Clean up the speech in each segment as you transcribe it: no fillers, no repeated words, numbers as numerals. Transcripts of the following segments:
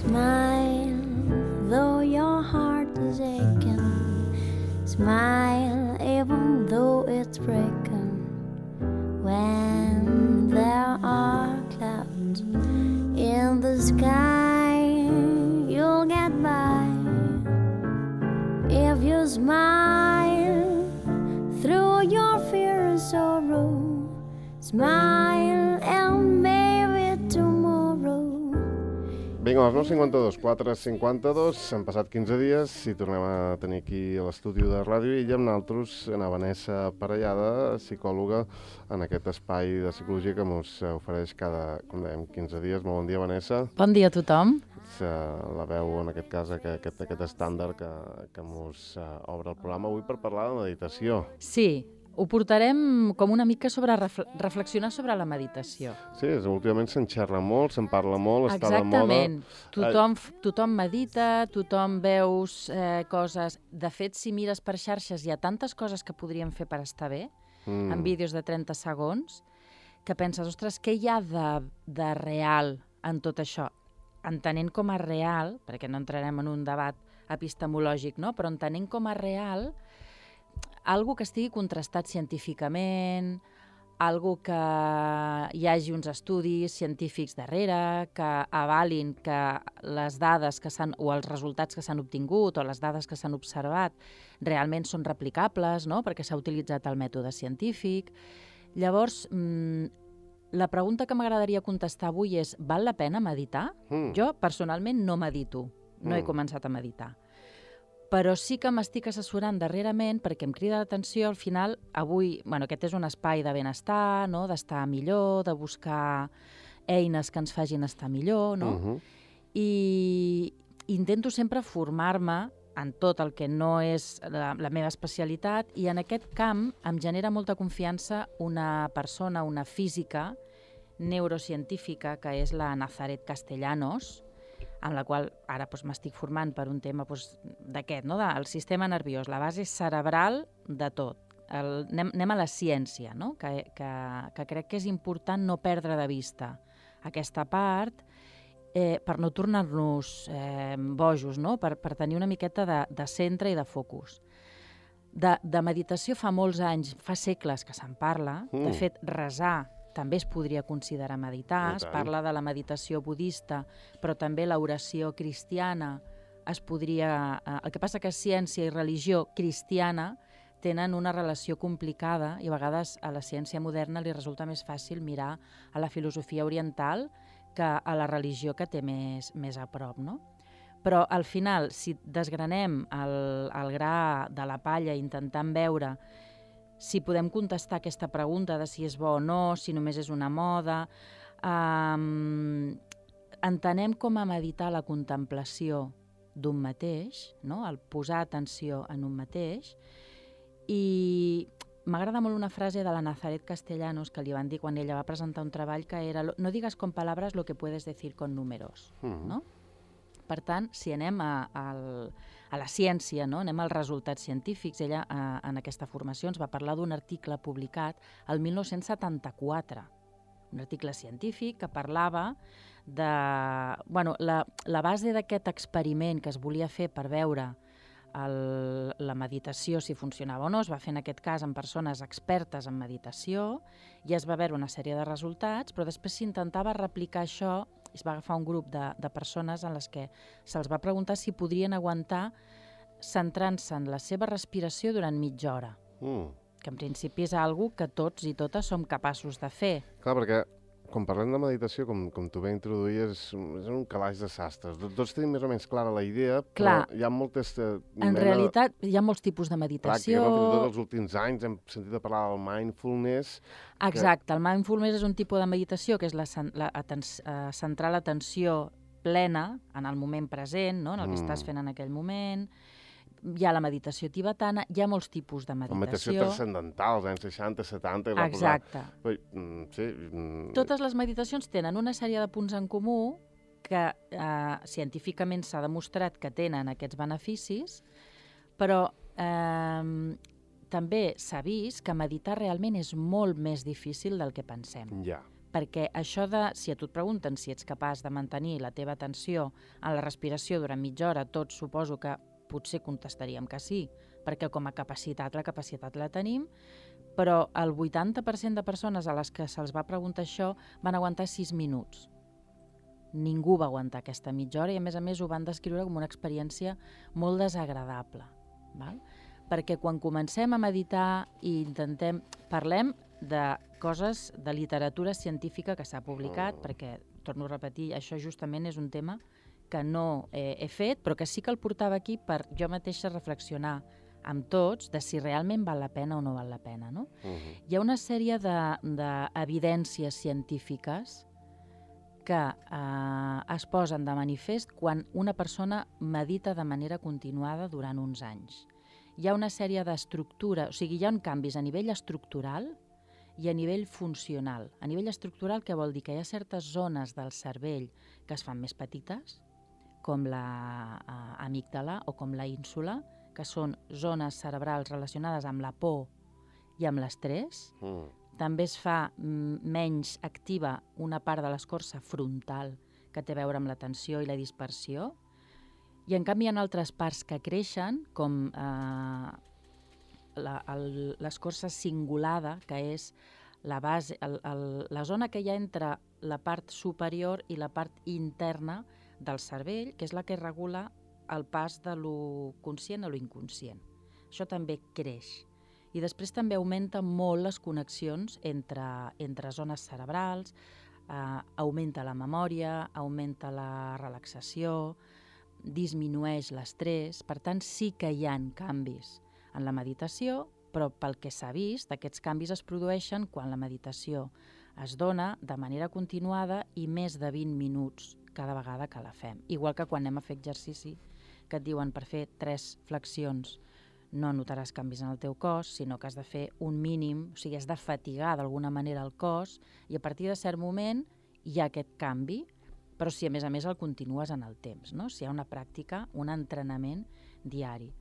Smile, though your heart is aching. Smile, even though it's breaking. When there are clouds in the sky, you'll get by. If you smile through your fear and sorrow, smile and maybe tomorrow. Vinga, a les 9:52, 4:52, han passat 15 dies i tornem a tenir aquí a l'estudi de Ràdio Illa amb nosaltres a Vanessa Parellada, psicòloga, en aquest espai de psicologia que ens ofereix cada, com dèiem, 15 dies. Molt bon dia, Vanessa. Bon dia a tothom. La veu, en aquest cas, aquest estàndard que ens obre el programa avui per parlar de meditació. Sí, ho portarem com una mica sobre reflexionar sobre la meditació. Sí, últimament se'n xerra molt, se'n parla molt, està de moda. Exactament. Tothom medita, tothom veus coses. De fet, si mires per xarxes, hi ha tantes coses que podríem fer per estar bé, en vídeos de 30 segons, que penses, ostres, què hi ha de real en tot això? Entenent com a real, perquè no entrarem en un debat epistemològic, no? Però entenent com a real algo que estigui contrastat científicament, algo que hi hagi uns estudis científics darrere, que avalin que les dades que o els resultats que s'han obtingut o les dades que s'han observat realment són replicables, no? Perquè s'ha utilitzat el mètode científic. Llavors, la pregunta que m'agradaria contestar avui és: val la pena meditar? Jo, personalment, no medito. No he començat a meditar. Però sí que m'estic assessorant darrerament perquè em crida l'atenció, al final, avui, aquest és un espai de benestar, no? D'estar millor, de buscar eines que ens facin estar millor, no? I intento sempre formar-me en tot el que no és la meva especialitat, i en aquest camp em genera molta confiança una persona, una física neurocientífica, que és la Nazaret Castellanos, en la qual ara m'estic formant per un tema d'aquest, no? Del sistema nerviós, la base cerebral de tot. Anem a la ciència, no? Que crec que és important no perdre de vista aquesta part, per no tornar-nos bojos, no? Per tenir una miqueta de centre i de focus. De meditació fa molts anys, fa segles que se'n parla. De fet, resar també es podria considerar meditar. Es parla de la meditació budista, però també l'oració cristiana es podria... El que passa que ciència i religió cristiana tenen una relació complicada i a vegades a la ciència moderna li resulta més fàcil mirar a la filosofia oriental que a la religió que té més a prop, no? Però al final, si desgranem el gra de la palla intentant veure si podem contestar aquesta pregunta de si és bo o no, si només és una moda, entenem com a meditar la contemplació d'un mateix, no? El posar atenció en un mateix, i m'agrada molt una frase de la Nazaret Castellanos que li van dir quan ella va presentar un treball, que era: no digas con palabras lo que puedes decir con números, no? Per tant, si anem a la ciència, no? Anem als resultats científics, ella en aquesta formació ens va parlar d'un article publicat el 1974, un article científic que parlava de... la base d'aquest experiment que es volia fer per veure la meditació, si funcionava o no, es va fer en aquest cas amb persones expertes en meditació, i es va veure una sèrie de resultats, però després s'intentava replicar això. Es va agafar un grup de persones en les que se'ls va preguntar si podrien aguantar centrant-se en la seva respiració durant mitja hora, que en principi és algo que tots i totes som capaços de fer. Clar, perquè quan parlem de meditació, com tu bé introduïes, és un calaix de sastres. Tots tenim més o menys clara la idea, però hi ha moltes... En realitat, hi ha molts tipus de meditació. Clar, que tots els últims anys hem sentit a parlar del mindfulness. Exacte, el mindfulness és un tipus de meditació que és centrar l'atenció plena en el moment present, no? En el que estàs fent en aquell moment. Hi ha la meditació tibetana, hi ha molts tipus de meditació. La meditació transcendental, als anys 60, 70... Exacte. Sí. Totes les meditacions tenen una sèrie de punts en comú que científicament s'ha demostrat que tenen aquests beneficis, però també s'ha vist que meditar realment és molt més difícil del que pensem. Ja. perquè això de, si a tu et pregunten si ets capaç de mantenir la teva atenció en la respiració durant mitja hora, tots suposo que potser contestaríem que sí, perquè com a capacitat, la capacitat la tenim, però el 80% de persones a les que se'ls va preguntar això van aguantar 6 minuts. Ningú va aguantar aquesta mitja hora i a més ho van descriure com una experiència molt desagradable. Val? Perquè quan comencem a meditar i parlem de coses de literatura científica que s'ha publicat, perquè, torno a repetir, això justament és un tema que no he fet, però que sí que el portava aquí per jo mateixa reflexionar amb tots de si realment val la pena o no val la pena. No? Hi ha una sèrie d'evidències científiques que es posen de manifest quan una persona medita de manera continuada durant uns anys. Hi ha una sèrie d'estructura, o sigui, hi ha canvis a nivell estructural i a nivell funcional. A nivell estructural, què vol dir? Que hi ha certes zones del cervell que es fan més petites, com l'amígdala o com la ínsula, que són zones cerebrals relacionades amb la por i amb l'estrès. També es fa menys activa una part de l'escorça frontal que té a veure amb l'atenció i la dispersió. I en canvi hi ha altres parts que creixen, com l'escorça cingulada, que és la base, la zona que hi ha entre la part superior i la part interna del cervell, que és la que regula el pas de lo conscient a lo inconscient. Això també creix. I després també augmenta molt les connexions entre zones cerebrals, augmenta la memòria, augmenta la relaxació, disminueix l'estrès. Per tant, sí que hi ha canvis en la meditació, però pel que s'ha vist, aquests canvis es produeixen quan la meditació es dona de manera continuada i més de 20 minuts cada vegada que la fem. Igual que quan anem a fer exercici, que et diuen per fer 3 flexions no notaràs canvis en el teu cos, sinó que has de fer un mínim, o sigui, has de fatigar d'alguna manera el cos i a partir de cert moment hi ha aquest canvi, però si a més el continues en el temps, no? Si hi ha una pràctica, un entrenament diari.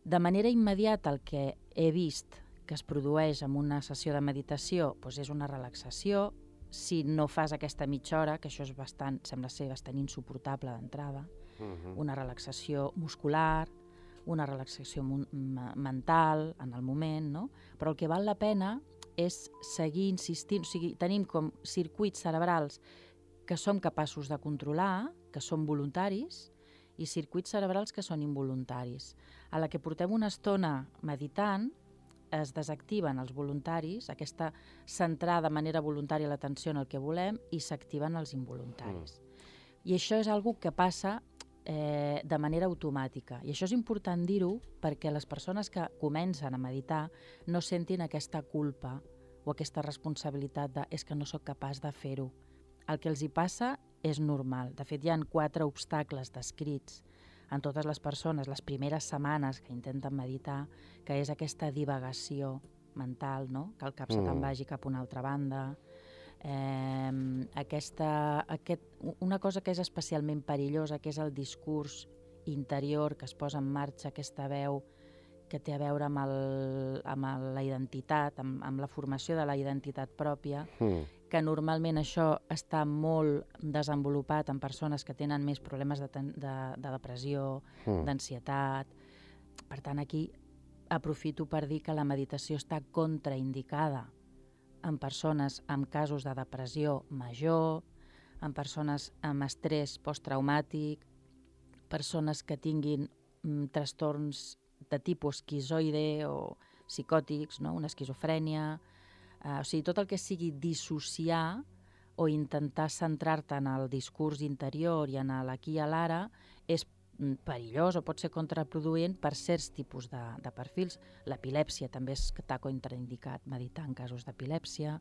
De manera immediata el que he vist que es produeix en una sessió de meditació doncs és una relaxació. Si no fas aquesta mitja hora, que això és sembla ser bastant insuportable d'entrada, una relaxació muscular, una relaxació mental en el moment, no? Però el que val la pena és seguir insistint, o sigui, tenim com circuits cerebrals que som capaços de controlar, que són voluntaris, i circuits cerebrals que són involuntaris. A la que portem una estona meditant, es desactiven els voluntaris, aquesta centrar de manera voluntària l'atenció en el que volem, i s'activen els involuntaris. I això és una que passa de manera automàtica. I això és important dir-ho perquè les persones que comencen a meditar no sentin aquesta culpa o aquesta responsabilitat de és que no sóc capaç de fer-ho. El que els hi passa és normal. De fet, hi ha 4 obstacles descrits en totes les persones les primeres setmanes que intenten meditar, que és aquesta divagació mental, no? Que el cap se te'n vagi cap a una altra banda. Una cosa que és especialment perillosa, que és el discurs interior que es posa en marxa, aquesta veu que té a veure amb la identitat, amb la formació de la identitat pròpia, que normalment això està molt desenvolupat en persones que tenen més problemes de depressió, d'ansietat. Per tant, aquí aprofito per dir que la meditació està contraindicada en persones amb casos de depressió major, en persones amb estrès posttraumàtic, persones que tinguin trastorns de tipus esquizoide o psicòtics, no? Una esquizofrènia. O sigui, tot el que sigui dissociar o intentar centrar-te en el discurs interior i en l'aquí i a l'ara és perillós o pot ser contraproduent per certs tipus de perfils. L'epilèpsia també està contraindicat meditar en casos d'epilèpsia,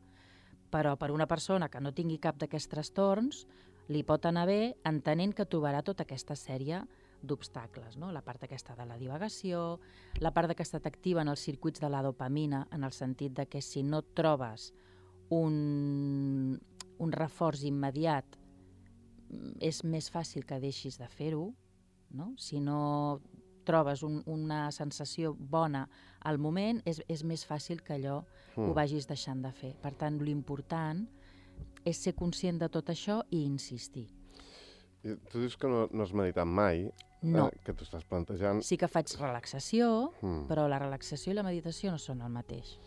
però per una persona que no tingui cap d'aquests trastorns li pot anar bé entenent que trobarà tota aquesta sèrie d'obstacles, no? La part aquesta de la divagació, la part que t'activen els circuits de la dopamina, en el sentit de que si no trobes un reforç immediat és més fàcil que deixis de fer-ho, no? Si no trobes una sensació bona al moment, és més fàcil que allò ho vagis deixant de fer. Per tant, l'important és ser conscient de tot això i insistir. I tu dius que no has meditat mai, No. que t'ho estàs plantejant. Sí que faig relaxació, però la relaxació i la meditació no són el mateix.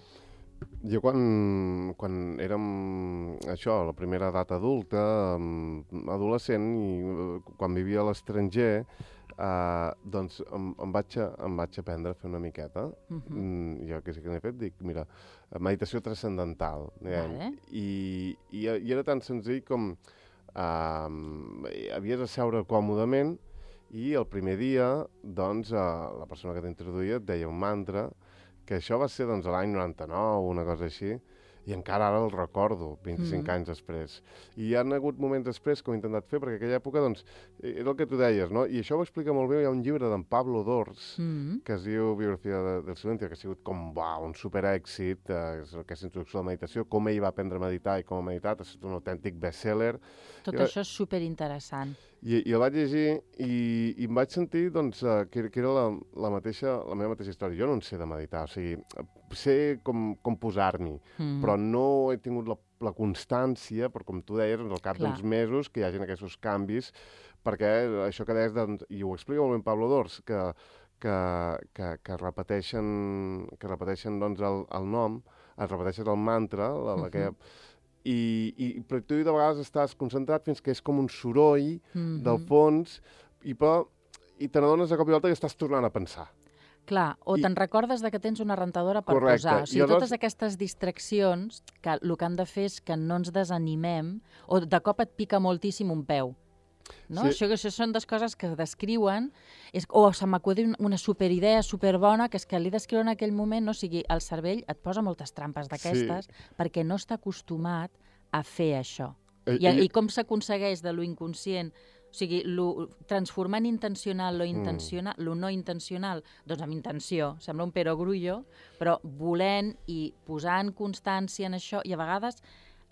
Jo quan érem, això, la primera edat adulta, adolescent, i quan vivia a l'estranger, doncs em vaig aprendre a fer una miqueta. Jo que sí que n'he fet, dic, mira, meditació transcendental. Vale. I era tan senzill com havies de seure còmodament i el primer dia, doncs, la persona que t'introduïa et deia un mantra, que això va ser doncs, l'any 99, una cosa així, i encara ara el recordo, 25 anys després. I hi ha hagut moments després que ho he intentat fer, perquè aquella època, doncs, era el que tu deies, no? I això ho explica molt bé, hi ha un llibre d'en Pablo Dors, que es diu Biografia del Silencio, que ha sigut com, un superèxit, aquesta introducció a la meditació, com ell va aprendre a meditar i com ha meditat, ha estat un autèntic bestseller. Tot això és superinteressant. I el vaig llegir i em vaig sentir doncs, que era la meva mateixa història. Jo no en sé de meditar, o sigui, sé com posar-m'hi, però no he tingut la constància, però com tu deies, al cap d'uns mesos que hi hagin aquests canvis, perquè això que deies, i ho explica molt bé Pablo Dors, que repeteixen doncs, el nom, es repeteixen el mantra, i tu de vegades estàs concentrat fins que és com un soroll del fons i te n'adones de cop i volta que estàs tornant a pensar. Clar, o te'n recordes de que tens una rentadora per posar. O sigui, totes aquestes distraccions, que el que han de fer és que no ens desanimem, o de cop et pica moltíssim un peu. No? Sí. Això són dues coses que descriuen, o se m'acuda una superidea superbona, que és que l'he d'escriure en aquell moment, no? O sigui, el cervell et posa moltes trampes d'aquestes perquè no està acostumat a fer això. I com s'aconsegueix de lo inconscient, o sigui, transformar en intencional lo no intencional, doncs amb intenció, sembla un perogrullo, però volent i posant constància en això, i a vegades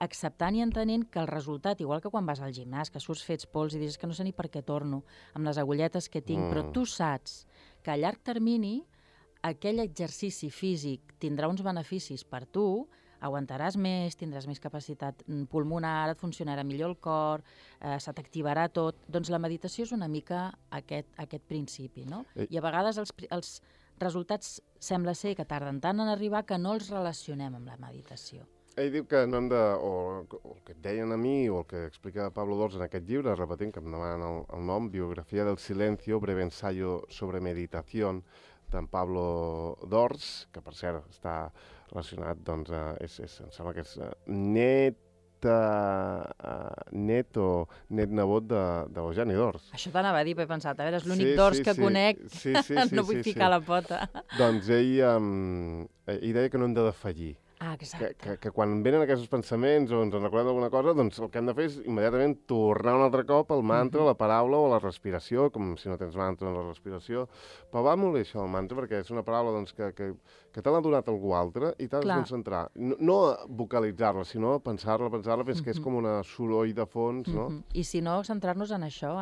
acceptant i entenent que el resultat, igual que quan vas al gimnàs, que surts fets pols i dius que no sé ni per què torno, amb les agulletes que tinc, però tu saps que a llarg termini aquell exercici físic tindrà uns beneficis per tu, aguantaràs més, tindràs més capacitat pulmonar, et funcionarà millor el cor, se t'activarà tot. Doncs la meditació és una mica aquest principi, no? I a vegades els resultats sembla ser que tarden tant en arribar que no els relacionem amb la meditació. Ell diu que no hem de, o el que et deien a mi, o el que explica Pablo Dors en aquest llibre, repetint que em demanen el nom, Biografia del Silencio, breve ensayo sobre meditación, d'en Pablo Dors, que per cert està relacionat, doncs, em sembla que és net nebot d'Eugeni Dors. Això t'anava a dir, he pensat, a veure, és l'únic Dors que conec, no vull ficar la pota. Doncs ell deia que no hem de defallir. Ah, exacte. Que quan venen aquests pensaments o ens en recordem d'alguna cosa, doncs el que hem de fer és immediatament tornar un altre cop al mantra, la paraula o la respiració, com si no tens mantra en la respiració. Però va molt bé això, el mantra, perquè és una paraula doncs, que te l'ha donat algú altre i t'has de concentrar. No vocalitzar-la, sinó pensar-la, fins que és com una soroll de fons, no? I si no, centrar-nos en això,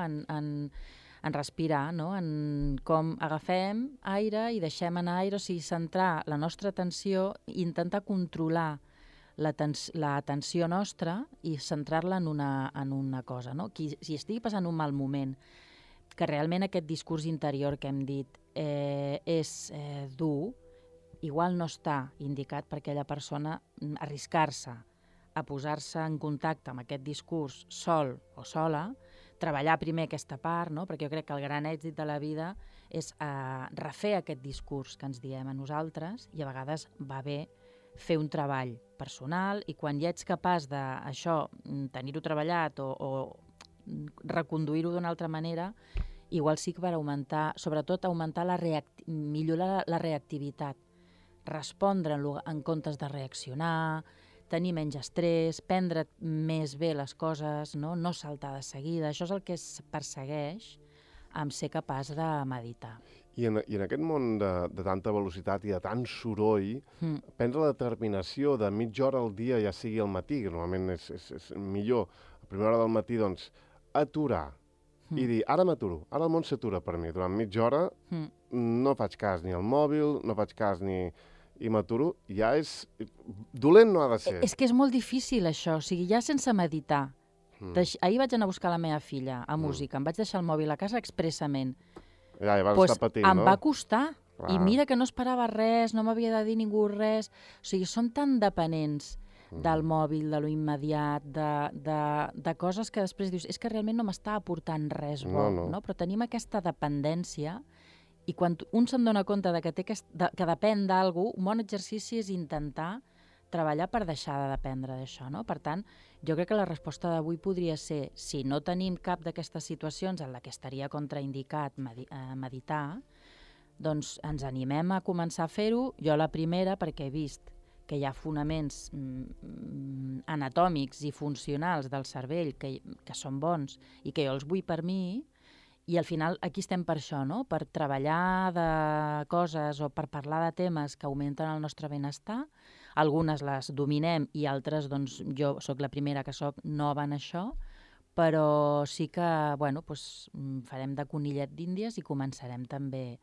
en respirar, no? En com agafem aire i deixem anar aire, o sigui, centrar la nostra atenció, intentar controlar l'atenció nostra i centrar-la en una cosa, no? Si estigui passant un mal moment, que realment aquest discurs interior que hem dit és dur, igual no està indicat per aquella persona arriscar-se a posar-se en contacte amb aquest discurs sol o sola, treballar primer aquesta part, no? Perquè jo crec que el gran èxit de la vida és refer aquest discurs que ens diem a nosaltres, i a vegades va bé fer un treball personal, i quan ja ets capaç d'això, tenir-ho treballat o reconduir-ho d'una altra manera, igual sí que per augmentar, sobretot millorar la reactivitat, respondre en comptes de reaccionar, tenir menys estrès, prendre més bé les coses, no saltar de seguida. Això és el que es persegueix amb ser capaç de meditar. I en aquest món de tanta velocitat i de tant soroll, prendre la determinació de mitja hora al dia, ja sigui al matí, que normalment és millor, a primera hora del matí, doncs, aturar i dir, ara m'aturo, ara el món s'atura per mi. Durant mitja hora no faig cas ni al mòbil, no faig cas ni i m'aturo, ja és... Dolent no ha de ser. És que és molt difícil, això. O sigui, ja sense meditar. Ahir vaig anar a buscar la meva filla a música. Em vaig deixar el mòbil a casa expressament. Ja vas estar patint, em no? va costar. I mira que no esperava res, no m'havia de dir ningú res. O sigui, som tan dependents del mòbil, de lo immediat, de coses que després dius, és que realment no m'està aportant res bo, no? Però tenim aquesta dependència i quan un se'n dona compte de que depèn d'algú, un bon exercici és intentar treballar per deixar de dependre d'això, no? Per tant, jo crec que la resposta d'avui podria ser, si no tenim cap d'aquestes situacions en la que estaria contraindicat meditar, doncs ens animem a començar a fer-ho. Jo la primera, perquè he vist que hi ha fonaments anatòmics i funcionals del cervell que són bons i que jo els vull per mi, i al final aquí estem per això, no? Per treballar de coses o per parlar de temes que augmenten el nostre benestar. Algunes les dominem i altres, doncs, jo sóc la primera que sóc nova en això, però sí que, bueno, doncs, farem de conillet d'Índies i començarem també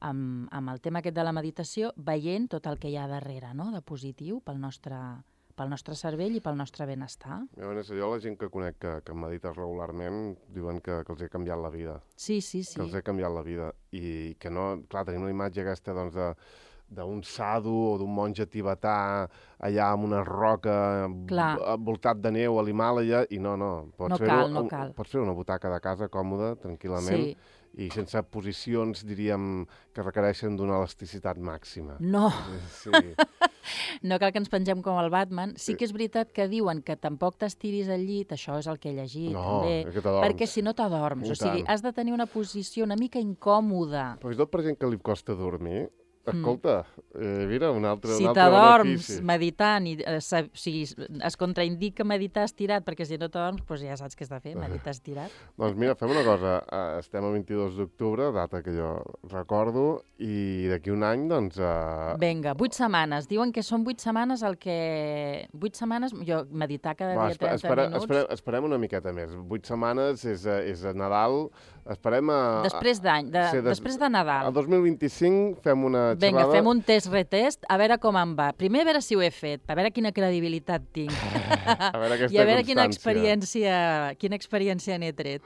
amb el tema aquest de la meditació, veient tot el que hi ha darrere, no?, de positiu pel nostre cervell i pel nostre benestar. Jo la gent que conec que medita regularment diuen que els ha canviat la vida. Sí. Que els ha canviat la vida. I que no... Clar, tenim la imatge aquesta, doncs, d'un sadhu o d'un monge tibetà allà amb una roca envoltat de neu a l'Himàlaia i no. No cal. Pots fer una butaca de casa còmoda, tranquil·lament, i sense posicions, diríem, que requereixen d'una elasticitat màxima. No. Sí. No cal que ens pengem com el Batman. Sí que és veritat que diuen que tampoc t'estiris al llit, això és el que he llegit, també, que t'adorms. perquè si no t'adorms. O sigui, has de tenir una posició una mica incòmoda. Però és tot per gent que li costa dormir. Escolta, mira, un altre si t'adorms meditant i si es contraindica meditar estirat, perquè si no t'adorms, doncs ja saps què has de fer, meditar estirat. Doncs mira, fem una cosa. Estem a 22 d'octubre, data que jo recordo, i d'aquí un any, doncs... Vinga, 8 setmanes. Diuen que són 8 setmanes el que... 8 setmanes, jo meditar cada dia 30 minuts... Esperem una miqueta més. 8 setmanes és a Nadal. Esperem a... Després d'any, després de Nadal. El 2025 fem una xerrada... Vinga, fem un test-retest, a veure com em va. Primer a veure si ho he fet, a veure quina credibilitat tinc. A veure aquesta i a veure constància. quina experiència n'he tret.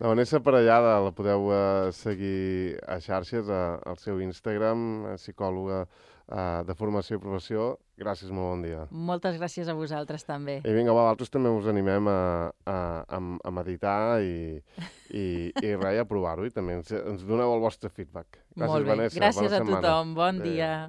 La Vanessa Parellada la podeu seguir a xarxes, al seu Instagram, psicòloga de formació i professió. Gràcies, molt bon dia. Moltes gràcies a vosaltres també. I vinga, vosaltres també us animem a meditar i res, a provar-ho, i també ens doneu el vostre feedback. Gràcies, molt bé. Vanessa. Gràcies a tothom. Bon dia.